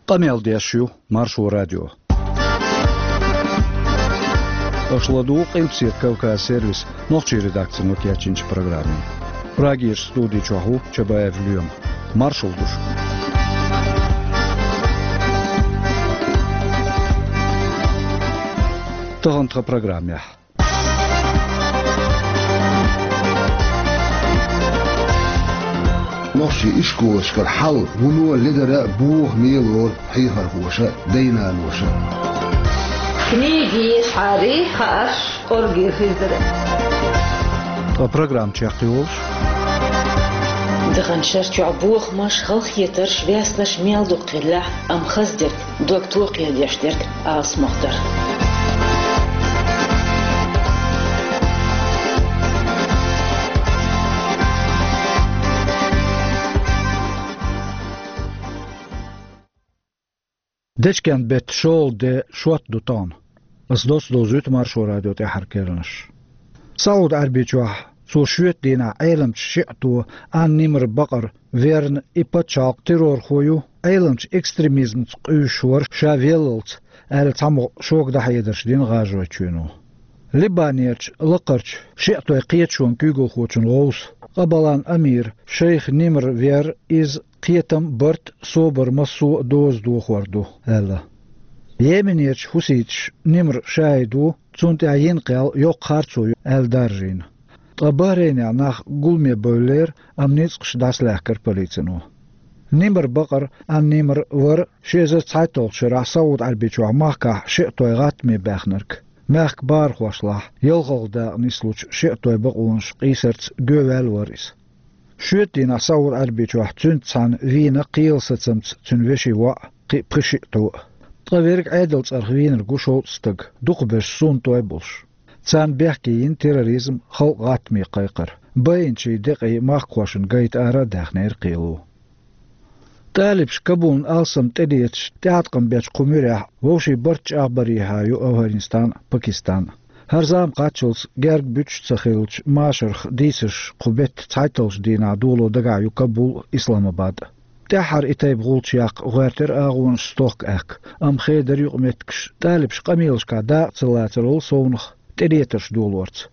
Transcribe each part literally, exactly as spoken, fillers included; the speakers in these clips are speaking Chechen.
Къамел деш ю Маршо радио. Аша ладугӀу Къилбаседа Кавказ сервисан нохчийн редакцино кечйинчу программе. Прагерчу студи чохь ву Чабаев Лоьма. Маршалла ду шуьга. Тахана тхан программехь. Нохчийн ишколашкара хьал вуно ледара бохаме лору хьехархоша а, дай-наноша а. Книги ешхьарий, хаарш кӀорге хир дара. Ткъа программа чекхйолуш. Даханчу шарчохь бохамаш, халахетарш, ваьснаш мел дукха хиллехь а, амма хаза дерг, дог токхедеш дерг алсамох дара. Дечкен-беттан шолгӀа де шот ду тахана. Ас доцца довзуьйту Маршо радион тӀаьххьара керланаш. СаӀуд-Ӏаьрбийчохь цо шоьтан дийнахь Ӏеламчу шиӀто Ан-Нимр бакъар верна, и пачхьалкх террорхо ю, Ӏеламчу экстремизмца къуьйсуш вара ша веллалц, аьлла, цхьамогӀа шога дӀахьедарш дина ГӀажаройчоьно. Либанерчу лакхарчу шиӀтойн кхеташонан куьйгалхочун гӀовса Къабалан Амир, шайх Нимр вер иза, кхетам, барт, собар массо а доза дохор ду, аьлла. Йеменерчу хьуситаша Нимр шахӀид ву, цунна тӀехь йина кхел йоккха харцо ю аьлла даржийна. Ткъа Бахрейнехь нах гуламе бевллера, амма ницкъаш дӀасалаьхкира полицино. Нимр бакъар Ан-Нимр вара ши эзар цхьайтталгӀачу шарахь СаӀуд-Ӏаьрбийчохь махкахь шиӀтойн гӀаттаме баьхнарг. Мехкан бахархошлахь, ялхалгӀа дакъа нислучу шиӀтойн бакъонаш къийсарца гоьваьлла вара иза. Шоьтан дийнахь СаӀуд-Ӏаьрбийчохь цуьнца цхьаьна вийна кхелан сацамца цуьнан вешин воӀ, кхин а пхи шиъ тхьо а. Ткъа верг Ӏедалан цӀарах вийнарг ву шовзткъа стаг, дукхахберш суннатой болуш. Царна бехке йина терроризм, халкъ гӀаттаме кхайкхар, байинчийн декъий махкахошна гайта ара а даьхнера кхело. ТӀалибаша Кабулна алсам тӀедеташ тӀеӀаткъам бечу кху муьрехь вовшийн барт чӀагӀбарехьа ю Афганистан а, Пакистан а. ХӀара зама кхаччалц герга буьтуш ца хиллачу машарх дийцарш кху беттан цхьайтталгӀачу дийнахь доло дагахь ю Кабул а, Исламабад а. ТӀаьххьара и тайпа гӀулч яккха гӀоьртира агӀонаш стохка аьхка, амма хедар юкъаметтигаш тӀалибаш къамелашкахь дакъа ца лацарал совнаха тӀедетарш долорца.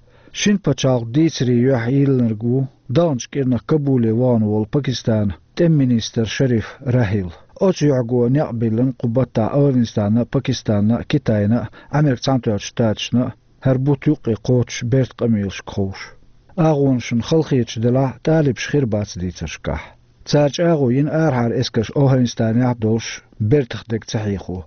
Шина пачхьалкхан дийцарийн юьхь йиллинарг ву даханчу кӀирнах Кабуле вахана волу Пакистанан тӀеман министр Шариф Рахил. Оцу юьхьго некъ биллина кху баттахь Афганистанна а, Пакистанна а, Китайна а, Американ Цхьаьнатоьхначу Штаташна а, хӀара бутт юккъе кхочуш бертан къамелашка ховш. АгӀонашна халахеташ делахь а, тӀалибаш хир бац дийцаршкахь. Цара чӀагӀо йина арахьара эскарш Афганистанехь а долуш, бертах дерг ца хьехо.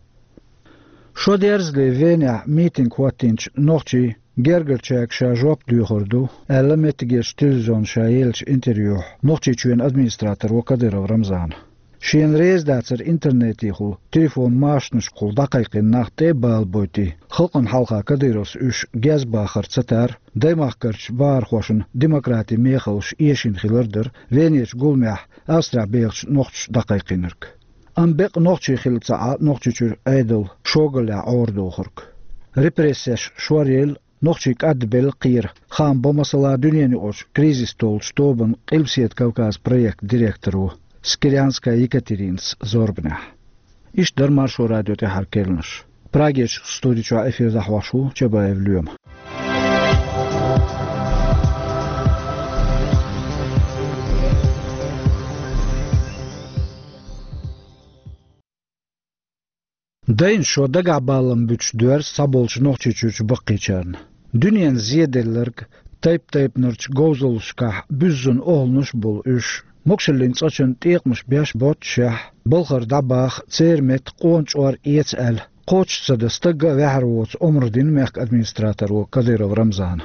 Шо дерзале Венехь митинг хӀоттийначу нохчийн гергарчаьрга ша жоп доьхур ду, аьлла, меттигерчу телевизионна ша еллачу интервьюхь Нохчийчоьнан администраторо Кадыров Рамзана. Шена реза дацара интернетехула, телефон машанашкахула дӀакхайкхийна нах тӀе а балабойтий, халкъана хьалха Кадыровс уьш гезбахар ца тара, даймахкарчу бахархошна демократин мехаллаш эшийна хилар дара Венерчу гуламехь Австрехь бехачу нохчаша дӀакхайкхийнарг. Амма бекъа нохчий хилла ца Ӏа Нохчийчуьра Ӏедал шогаллехь Ӏорадохург. Репрессеш шоръелла, нохчий кӀадбелла кхера, хаам бан масала дуьненаюкъарчу кризис толлучу тобанан Къилбаседа Кавказан проектан директоро Скирянская Екатеринас зорбанехь. Иштта дара Маршо радион тӀаьххьара керланаш. Прагерчу студи чохь эфир дӀахьош ву Чабаев Лоьма. Дайна шо дагахь баллам буьтуш доьрзу цхьаболчу Нохчийчуьрчу баккхийчарна. Дуьненан зеделларг, тайп-тайпанарчу говзаллашкахь буьззина охӀланаш а болу уьш, могушаллин цӀа чун тӀекъамаш беш боццушехь, балхара дӀабаха, церан метта къона чӀор эца аьлла, кхочуш ца дан стагга а ваьхьар воцу омра дина мехкан администраторо Кадыров Рамзана.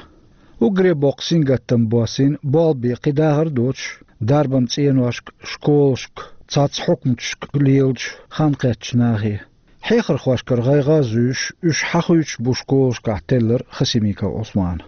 Уггаре боккха сингаттам боссийна болх бе кхин дахар а доцуш, дарбан цӀеношка, школашка, цхьацца хьукматашка лелачу хан кхеттачу нахе. Хьехархошкара гӀайгӀа а зуьйш, уьш хьахуьйтуш бу школашкахь теллар Хасимиков Ӏусмана.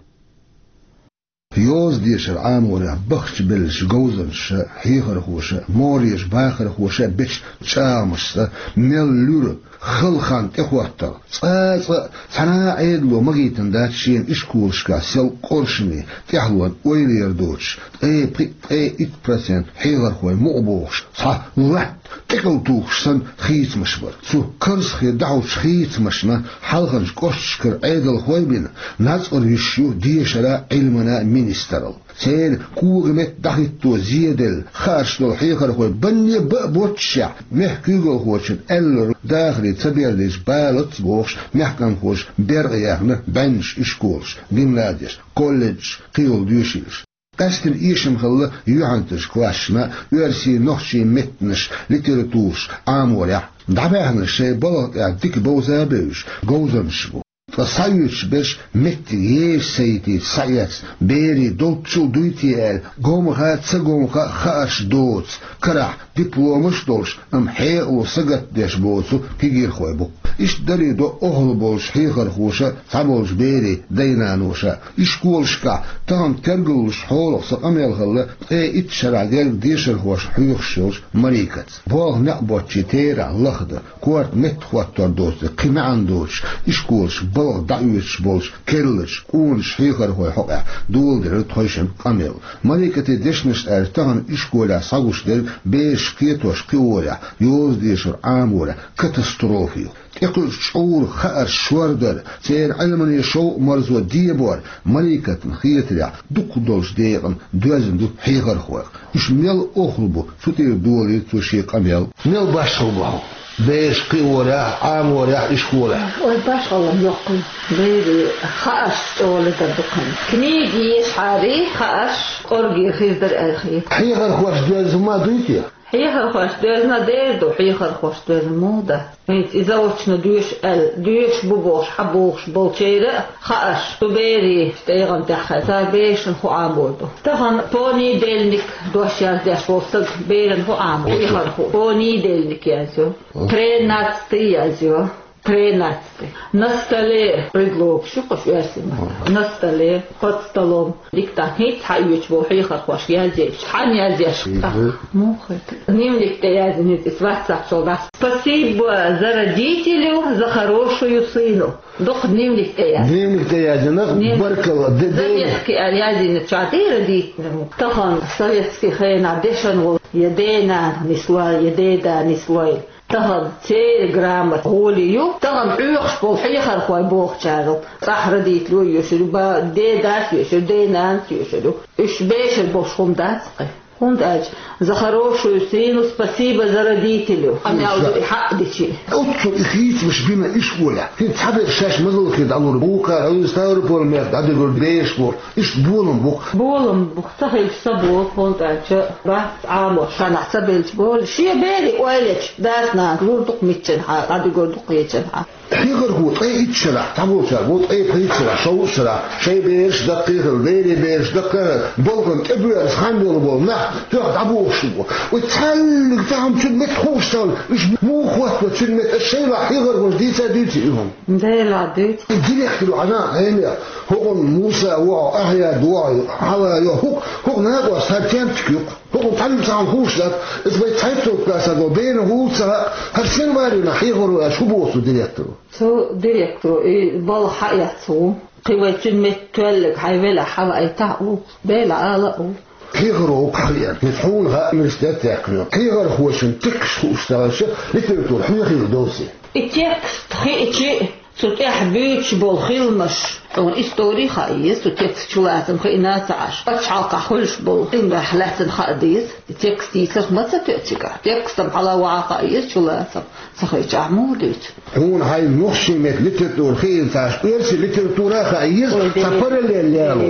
Йоза дешар Ӏаморехь бахчабеллачу говзанчаша, хьехархоша, могӀарерчу бахархоша бечу чӀагӀамашца мел луьра хала хан тӀехӀоттал. Цкъа а цкъа а цхьана а Ӏедало ма гӀийтина дац шена ишколашкахь сел къоршаме, тӀаьхьалонан ойла яр доцуш, ткъе пхиъ, ткъе итт процент хьехархой мукъа бохуш, цхьа латта ТӀекӀал тухуш санна хийцамаш бара. Цу карзахе дӀахьочу хийцамашна хьалхарчу кӀошташкара Ӏедалхой а бина, нацкъара йиш ю дешара, Ӏилмана министралла. Церан кога метта дӀахӀитто зеделла, хаарш долу хьехархой банне бан а боццушехь, мехкан куьйгалхочун аьлларг дахаре ца бер деза балац бохуш, мехкан кхочуш беркъа яьхна бӀеннаш ишколаш, гимназеш, колледжаш, кхийолу доьшийлаш. Къаьсттина эшам хилла юьхьанцарчу классашна оьрсийн, нохчийн меттанаш, литератураш Ӏаморехь. ДӀабаьхнарш шайн балха тӀехь дика бовза а бевзаш, говзанчаш бу. Ткъа схьаоьцуш берш меттиг еша ца йитийта схьаэцна, берийн долччул дуй те аьлла, гомха а, ца гомха а хаарш доцу, карахь дипломаш а долуш, амма хьекъало сагатдеш боцу кегийрхой бу. Иштта даре до охьа болчу хьехархоша а, цхьаболчу берийн дай-наноша а. Ишколашкахь тахана тергаллуш хьолах сан къамел хилла ткъе итт шарахь герга дешархошна хьоьхуш йолчу Марикаца. Болх некъ боцчийн терахь лахдан, корта меттахӀоттор доцург кхин маьӀна доцуш, ишколашка балха дӀаоьцуш болчу керла, къоначу хьехархойн хьокъехь доладелира тхойшиннан къамел. Марикатин дешнашна аьлча, тахана ишколехь схьагуш дерг бераш кхетош-кхиорехь, йоза-дешар Ӏаморехь катастрофа ю. ТӀекхуьучу чкъуран хаарш шордар, церан Ӏилманан шовкъ-марзо дебор Марикатна хетарехь дукхах долчу декъана доьзна ду хьехархойх. Уьш мел охьа бу, цу тӀера долийра цо шен къамел. Мел башхалла бу хьо бераш кхиорехь, Ӏаморехь, ишколехь? Ой, башхалла йоккха ю. Берийн хаарш чӀогӀа ледара ду-кх хьуна. Книга ешахьара, хаарш кӀоргера хир дара аьлла хета. Хьехархошна доьзна ма дуй те? Хьехархошна доьзна дера ду, хьехархошна доьзна муха дац? ХӀинца и заочно доьшу аьлла, доьшуш бу бохуш, хьан бохуш болчеран а хаарш цу берийн тӀегӀан тӀехь хилла, цара берашна хӀун Ӏамор ду. Тахана понедельник дош яздеш волу стаг берана хӀун Ӏамор ду? Хьехархо понедельник язйо, тринадцатый язйо, тринадцатый. На столе предлог шу кхуш оьрсийн маттахь. На столе, под столом. Диктант хӀинца схьаоьцуш болу хьехархошка язъеш. Хьанна язъеш? Мгм. Муха хета? Дневник тӀе яздина иза, ватсапчул дац. Спасибо за родителю, за хорошую сыну. Дукха дневник тӀе яздина. Дневник тӀе яздина, дневник. Баркалла, де-, де- Заметки аьлла яздина чохь, де родителям. Тахана советский хенахь дешна волу я денан нислой, я дедан нислой. Тахана церан грамота гӀоле ю, тахана хьоьхуш болу хьехархой бохучара. ЦӀахь родитель йоьшур ю, ба-, дедас йоьшур ю, денанас йоьшур ю. Уьш бешар болуш хӀума дац-кх. ХӀунда аьлча, за хорошую сыну, спасибо за родителю. Амма аьлла ду и хьаъ дичи. Оццул и хийцамаш бина ишколехь. ХӀинца цхьаберш шаьш мазаллахе дӀалур бу, вукхара Ставрополь-мехка дӀадуьгур бераш бу. Иштта болам бу-кх. Болам бу-кх, ца хилча ца болу, хӀунда аьлча бац Ӏамош. Шанахь ца белча болу, шен берийн ойла ечу дас-нанас лур ду-кх миччанхьа, дӀадуьгур ду-кх кхечанхьа. Хьехархо ткъе итт шарахь, цхьаболчара боху ткъе пхийтта шарахь, шовзткъа шарахь, шайн бераш даккхий хилла, берийн бераш даккхий хилла, балхана тӀебоьрзуш хан йолу болу нах тоьхна дӀабохуш бу. Вай цхьаьллиг тахана цуьнан метта хууш ца хилла, уьш муха хӀоттаво цуьнан метта, аса шайн ваьхьа хьехархоша дийца а дуьйций и хӀума? Делахь дуьйцу. И директор ву хьан а хьенех, хӀокхунна Муса ву хьо, Ахьяд ву хьо, хьала йо, хӀуъ, хӀуъ накъост хӀара тентик ю-кх. ХӀокхунна цхьаьнниг цхьаьна хууш дац, иза вай цхьайтта классехь долу берана хӀума ца хаьа, хӀара сенварина хьехаро аьлча, хӀун боху цу директоро? Цу директоро и балха хьаэцна ву. Кхин вай цуьнан метта тоьллиг хьайн велахь хьаваийтахьа ву. Делахь ала а ву. Хьехаро ву-кх хьан веана. Иза хьуна хаьа университет яьккхина. Хьехархошна текст хууш ца хилча, литература хьоьхийла довзий? И текст хиъча, цу тӀехь буьйцуш болу хиламаш, хьуна истори хаа еза, цу текст чулацам хиъна а ца Ӏаш. Пачхьалкхахь хуьлуш болу хиламех лаьцна хаа деза. И текст йийцарх ма ца тоьа цигахь. Текстам хьала ваха хаа еза чулацам. Ца хиъчахь муха дуьйцу? Хьуна хьайн нохчийн меттан литература хиъна ца Ӏаш, оьрсийн литература а хаа еза, ой, цхьа параллель яло.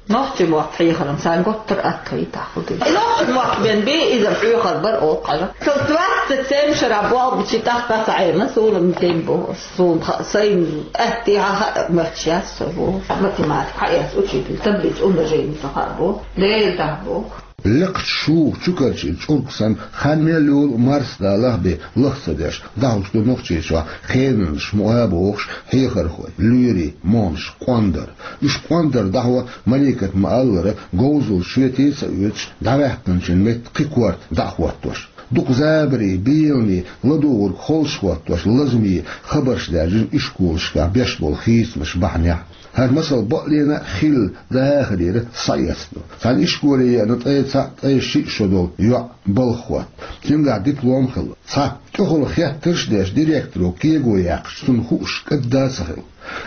Нохчийн мотт хьехаран сан гуттар а атта хӀиттахь хӀу ду. Нохчийн мотт бен бен иза хьоьхур бара оха хьажа. Со двадцать семь шарахь болх бича тӀаккха ца Ӏемина, суна ма тем бу. Суна ха-, сайн атта хьан хаа моьттуш яц со бу. Математика хьаэца учитель, таблица умножения со хаа бу. Дера дахь бу. Лекхачу шуха чу карчийна чӀург санна, хан мел йолу марсадалахь бен лах ца деш, дӀахьуш ду Нохчийчохь хенанаш мукъа а бохуш хьехархой, лоьрийн, монаш, къондар. Уьш къондар дӀахьо Маликат ма-аллара, говзалла шоьте а ца оьцуш, дӀаваьккхинчун метта кхин корта дӀа а хӀоттош. Дукха забари, белани ладугӀург холчахӀоттош, лазаме хабарш даьржира ишколашкахь беш болу хийцамаш бахьанехь. ХӀара масал бакъ лена а хилла дахарера схьаэцна. Цхьана ишколе еана ткъе цхьаъ, ткъе шиъ шо долу йоӀ балха хӀотта. Цуьнгахь диплом хилла. Цхьа тӀехула хеттарш а деш, директоро кего яьккхича, цунна хууш кӀадда а ца хилла.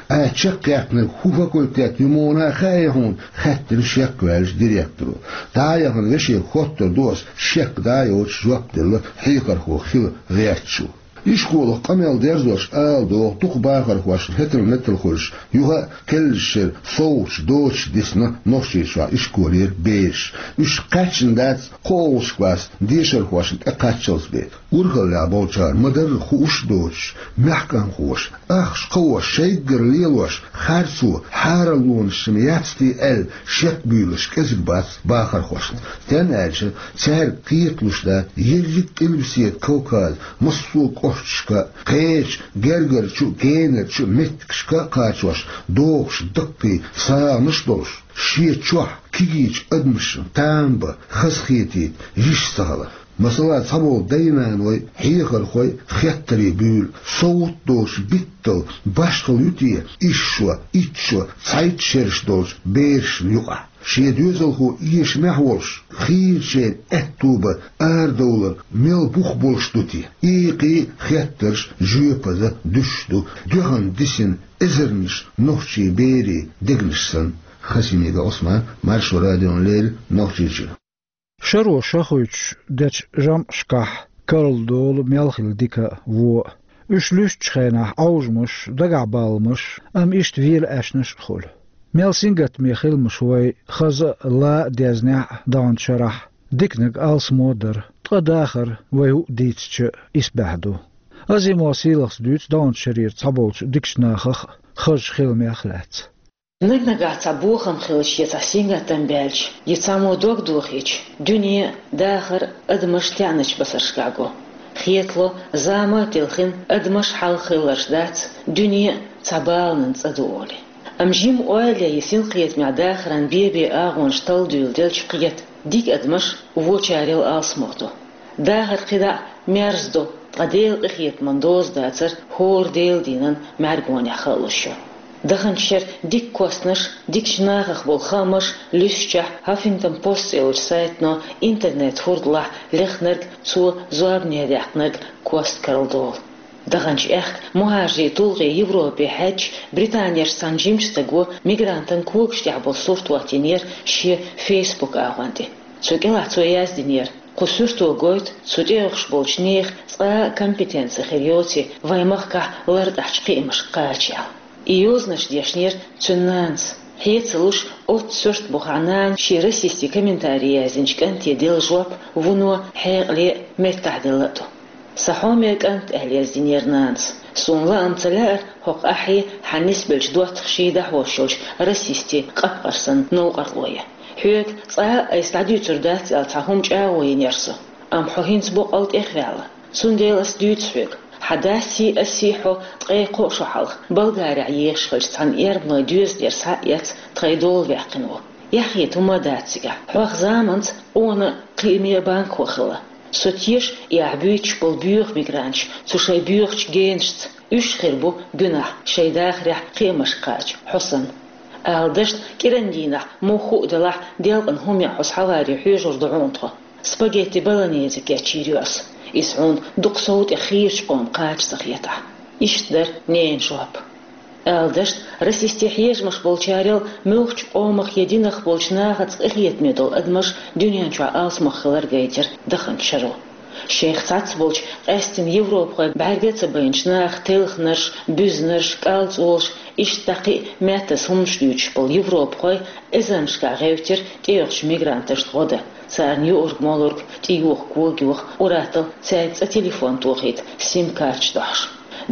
«Ай, чекхъяьккхинарг хӀун факультет ю, муна хаьий хьуна?» — хаьттира шек ваьллачу директоро. «ДӀа а яхана, вешега хоттур ду ас, шек дӀа а йоцуш», — жоп делла хьехархо хила гӀертачо. Ишколах къамел дерзош ала догӀу дукха бахархошна хӀетал-метал хуьлуш, юха а кхеллачу шеран совгӀаташ доцуш дисна Нохчийчохь ишколера бераш. Уьш кхаьчна дац кхоалгӀачу классан дешархошна тӀекхаччалц бен. Урхаллехь болчара ма-дарра хууш а доцуш, маьхкамхоша, ахча кхоош, шайггара лелош, харцо, хьараллонаш шимма яц те аьлла, шек буьйлуш кӀезиг бац бахархошна. Стенна аьлча, цаьрга кхеталуш дац ерриг а Къилбаседа Кавказан массо а кӀошташка, кхечу гергарчу а, кенарчу а меттигашка а кхачош, дохуш даккхий сагӀанаш а долуш, шен чохь кегийчу адамашна там бан хазахетийта йиш ца хилар. Масала, цхьаболу дай-наной, хьехархой хеттаре буьйлу, совгӀат а доцуш битталла башхалла ю те исс шо, итт шо, цхьайтта шераш долчу берашна юкъахь? Шен доьзалхо эшамехь волуш, хийрачеран аьтто бан арадовлар мел бух болуш ду те? Экхий хеттарш жоьпаза дуьсуш ду, дуьхьал дисина эзарнаш нохчийн берийн дегнаш санна. Хасимига Ӏусман, Маршо радиона леррина, Нохчийчуьра. Шаро шахуьйтуш дечу жамӀашкахь карладолу мел хилла дика а, вон а. Уьш луьстучу хенахь Ӏовжамаш, дагахь баламаш, амма иштта вела аьшнаш а хуьлу. Мел сингаттаме хиламаш вай хаза а, ла а дезнехь а даханчу шарахь, диканиг алсамо а дара, ткъа дахар вай хӀуъа дийцича а исбаьхьа ду. Азимова Сийлахас дуьйцу даханчу шарера цхьаболчу дикачу нахах а, хазачу хиламех а лаьцна. Наг-нагахь цхьа бохам хилча я цхьа сингаттам баьлча, я цхьаммо дог дохийча, дуьне, дахар, адамаш теӀначу басаршкахь го. Хетало, зама а телхина, адамаш хьалха хилларш дац, дуьне а цхьа баланан цӀа ду олий. Амма жима ойла я синкхетамехь дахаран бен-бен агӀонаш талла дуьйладелча кхета, дика адамаш вочарел алсамо ду. Дахар кхидӀа а мерза ду, ткъа Делан къинхетаман доза дацар хӀора Делан дийнан мӀаьргонехь хаалуш ю. Даханчу шеран дика костнаш, дикачу нахах болу хаамаш луьстучехь, Huffington Post цӀе йолчу сайтано интернет-хурдалахь лехнарг, цо зорбане даьккхинарг кост карладолу. Даханчу аьхка мухӀажарийн тулгӀе Европе хьаьдча, Британерчу цхьана жимачу стага мигрантан когаш тӀехь болу сурт хӀоттийнера шен Facebook агӀон тӀе. Цу кӀелахь цо яздинера: «Кху суьрто гойту, цу тӀеоьхуш болчу нехан цкъа а компетенци хир йоций вайн махкахь лартӀахьчу кхиамашка кхача», — аьлла. И йозанаш дешнера цуьнан нанас. Хье ца луш, оццу суьртан бухахь нана шен расистийн комментари яздинчу кӀанте делла жоп вуно, хьекъале а, меттахделла а ду. «Сан хьоме кӀант», — аьлла яздинера нанас, — «суна лаам ца лаьара хӀокху ахьий, хьан нисбеллачу доттагӀаший дӀахьош йолчу расистийн къапкъар санна новкъарло ян. Хьоьга цкъа а айса дӀадуьйцур дац аьлла цхьа хӀума чӀагӀо йинера со. Амма хьо хӀинца боккъал тӀехваьлла. Цундела ас дуьйцу хьоьга, хьан дасий, асий хьо ткъе кхо шо хьалха Болгарехь ехаш хилча, цхьана эрбанойн доьзалера схьа а эцна, тхайн дола ваьккхина ву. Яхье хӀума а дац цигахь. Хьох заманца къона а, кхиаме а банкахо хилла. Со теша и ахь буьйцуш болу боьха мигранташ цу шайн боьхачу генашца. Уьш хир бу гуьнахь шайн дахарехь кхиамашка кхача хьо санна. Ала дашна, кӀиран дийнахь, муха хӀуъа делахь, делкъана хӀума ян хьо схьаваре хьоьжур ду хьуна тхо. Спагетти болоньезе кечйийр ю ас, иза хьуна дукха сов тӀе хийрачу къоман кхача ца хетахь». Иштта дара ненан жоп. Ала дашна, расистийн хьежамаш болчарел муьлххачу къомах я динах болчу нахаца къинхетаме долу адамаш дуьнен чохь алсамох хилар гайтира даханчу шаро. Шайх цхьацца болчу, къаьсттина европахой бӀаьрга а ца байначу наха телхнарш, буьзнарш, кӀалцӀолаш, иштта дӀа кхин а меттаза хӀуманаш дуьйцуш болу европахой эзарнашкахь гӀевттира тӀеоьхучу мигранташна гӀо дан, царна юург-молург, тӀеюхург, кога юха, ур-атталла цаьрга цкъа телефон тохийта, сим-карташ дохьуш.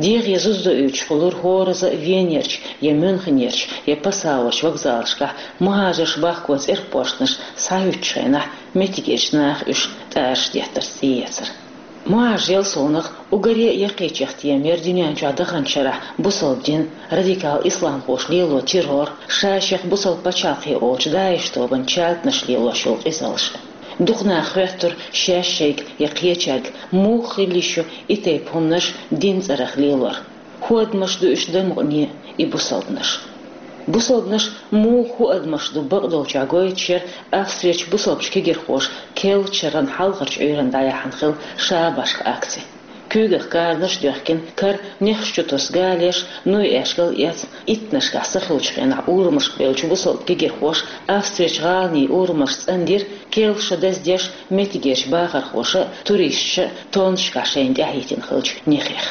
ДегӀе зуза доуьйтуш хуьлура хӀоразза а Венерчу, я Мюнхенерчу, я Пассауерчу вокзалашкахь мухӀажарш бахко цӀерпошнаш схьахӀуьттучу хенахь, меттигерчу наха уьш тӀараш деттарца тӀеэцар. МухӀажарел совнаха уггаре а яккхийчех тема яра дуьнен чохь даханчу шарахь бусалба дин, радикал исламхоша лело террор, ша-шех бусалба пачхьалкхе олучу ДАИШ тобан чатанаш лелош йолу къизаллаш. Дукха наха хоьттура шаьш шайга я кхечаьрга, муха хила йиш ю и тайпа хӀуманаш дин цӀерах лелор. ХӀун адамаш ду уьш дан мукъане и бусалбанаш? Бусалбанаш муха хӀун адамаш ду бакъдолчохь гойтуш яра Австрерчу бусалбачу кегирхоша Керлачу шаран хьалхарчу Ӏуьйранна дӀаяьхьна хилла шабашка акци. Куьйгах каранаш а доьхкина, кара нехаш чу тосу галеш, нуй-аьшкал а эцна, иттаннашкахь сахиллачу хенахь урамашка бевллачу бусалба кегирхоша Австрерчу гӀаланийн урамаш цӀандира, Керлачу шо даздеш, меттигерчу бахархоша а, туристаша а тоннашкахь шайна тӀаьхьахӀиттина хиллачу нехех.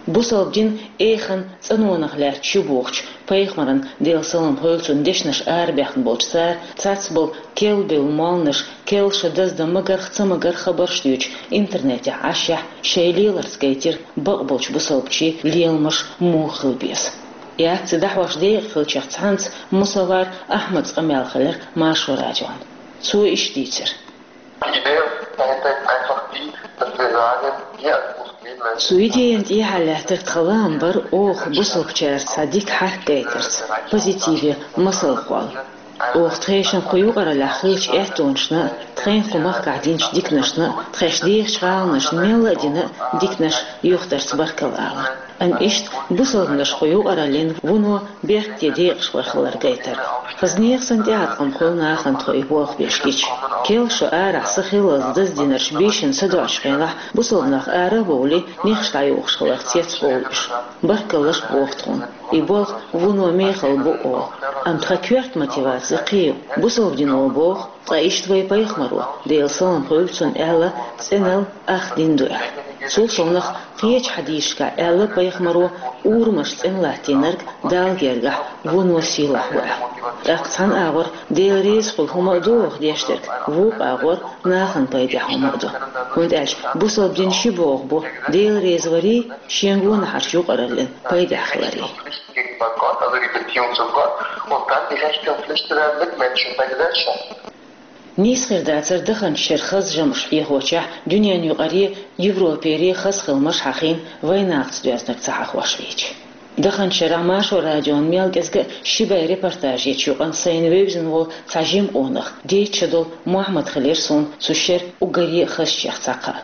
Бусалба дин эханна цӀанонах лаьтташ ю бохучу пайхамаран, Делан салам хуьлда цунна, дешнаш арабаьхна болчу цара цхьацца болу керла бевлла молланаш Керлачу шо даздан магарх а, ца магарх а хабарш дуьйцуш интернетехь Ӏашшехь, шайн леларца гайтира бакъболчу бусалбачийн леламаш муха хила беза. И акци дӀахьош декъа хиллачех цхьаьнца Мусавар Ахьмадан къамел хилира Маршо радион. Цо иштта дийцира. Цу идеян тӀехьа лаьттарг тхан лаам бара оха бусалбачаьрца цхьа дика хьарк гайтарца, позитиве масал кхолла. Оха тхешан кху юкъараллехь хиллачу аьттонашна а, тхайн кху махкахь динчу диканашна а, тхаьш дехачу гӀаланашна мелла а дина а диканаш юхатарца баркалла алар. Амма иштта бусалбанаш кху юкъараллин вуно беркате декъашхой хилар гайтар. Хаза нехан санна тӀеӀаткъам хуьлу нахана тхо и болх беш гича. Керла шо арахь сахиллалц даздинарш бийшина садоӀучу хенахь, бусалба нах ара а бовлий, нехаш дӀайохуш хиларх цецбовлу уьш. Баркаллаш боху тхуна. И болх вуно мехала бу олу. Амма тхан коьрта мотиваци кхин ю. Бусалба дино боху, ткъа иштта вайн пайхамаро, Делан салам хуьлда цунна, аьлла, цӀеналла ах дин ду аьлла. Цул совнаха кхечу хьадисашкахь аьлла пайхамаро, урамаш цӀена латтийнарг Далла гергахь вуно сийлахь ву аьлла. ТӀаккха цхьана агӀор Дела реза хуьлу хӀума а ду оха деш дерг, вукху агӀор нахана пайдехь хӀума а ду. ХӀунда аьлча бусалба дин ши богӀу бу: Дела реза варий, шен гонахьарчу юкъараллин пайдехь хиларий. Нийса хир дацара даханчу шеран хаза жамӀаш хьехочехь, дуьненаюкъаре, Европере хаза хиламаш хьахийна, вайн нахаца доьзнарг ца хьахош вийча. Даханчу шарахь Маршо радион мел кӀезга а ши бӀе репортаж ечу юкъана сайна вевзина волу цхьа жима къонах, дейтта шо долу Мохьмад хилира суна цу шеран уггаре а хазачех цхьа кхаъ.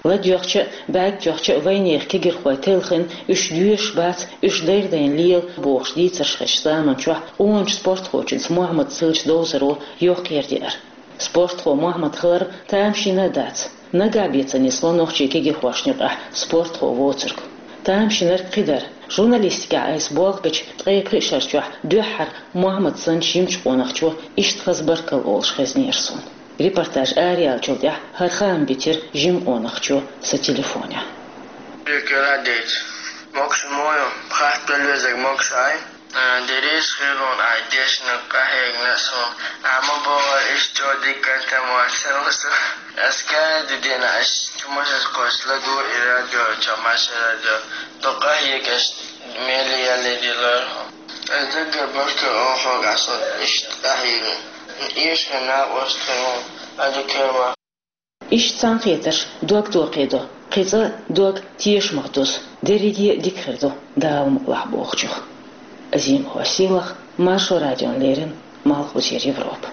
ЛадоьгӀча а, бӀаьрг тоьхча а вайнехан кегирхой телхина, уьш доьшуш бац, уьш дайра-дайна лела бохуш дийцарш хезачу заманчохь къоначу спортхочуьнца Мохьмадца хиллачу довзаро йоккха яра деара. Спортхо Мохьмад хилар тамашийна а дац. Нагахь бен ца нисло нохчийн кегирхошна юкъахь спортхо воцург. Тамашийнарг кхидара. Журналистикехь айса болх бечу ткъе пхи шар чохь дуьххьара Мохьмад санна жимачу къонахчо иштта хаза баркалла олуш хезнера суна. Репортаж араяьллачул тӀаьхьа хӀара хаам битира жима къонахчо сан телефонехь. Дика ладийца. Могуш ма ю, хатта везарг могуш ай. Дерриш хилон ай дешна къахьегна суна. Амма бохура, иштта дика контент моцан суна. Ас кара ди дина аш чумашас кхош ладу и радио, чамаша радио. Ду къахьегаш мели ялли дилар. Ас даггара баркалла олу хьоьга, ас иштта къахьегна. Эшна накъост хилон, ада кема. Иштта цхьаьнакхетарш дог тохедо, кхин цкъа дог тешамах дузу, дерриге а дика хир ду, Дала мукъалахь бохучух. Азимова Сийлаха, Маршо радион леррина, Малхбузера Европа.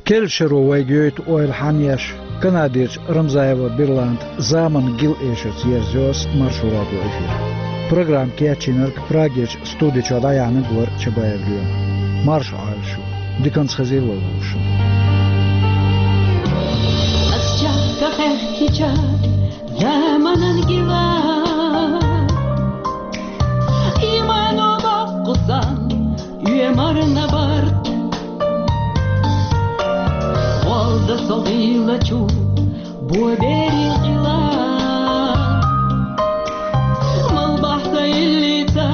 Керла шаро вайга йойту ойла хьанъеш, Канадерчу Рамзаева Берланда заманан гил эшарца ерзайо ас Маршо радион эфир. Программа кечйинарг, Прагерчу студи чохь дӀаяьхьнарг вара Чабаев Лема. Марша Ӏойла шу. Диканца хезийла вай вовшашна. Ас чехка хехкича заманан гила, иман боккху сан оьмарна барт. Волда со гӀийлачу бо берил къила. Мал бахьса иллица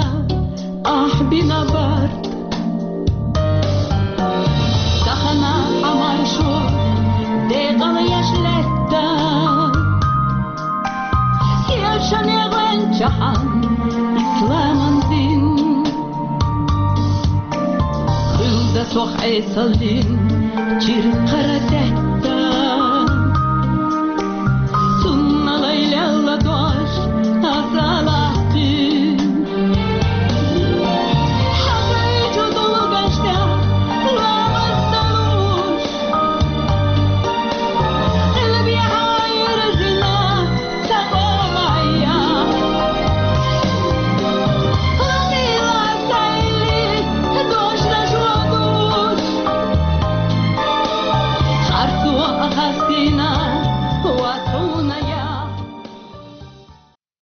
ахь бина барт. Тахана Ӏамаршо декъала еш лаьтта. Кечане гӀанчахьан исламан дин. Хилда сох Ӏесаллин чиркхара тет.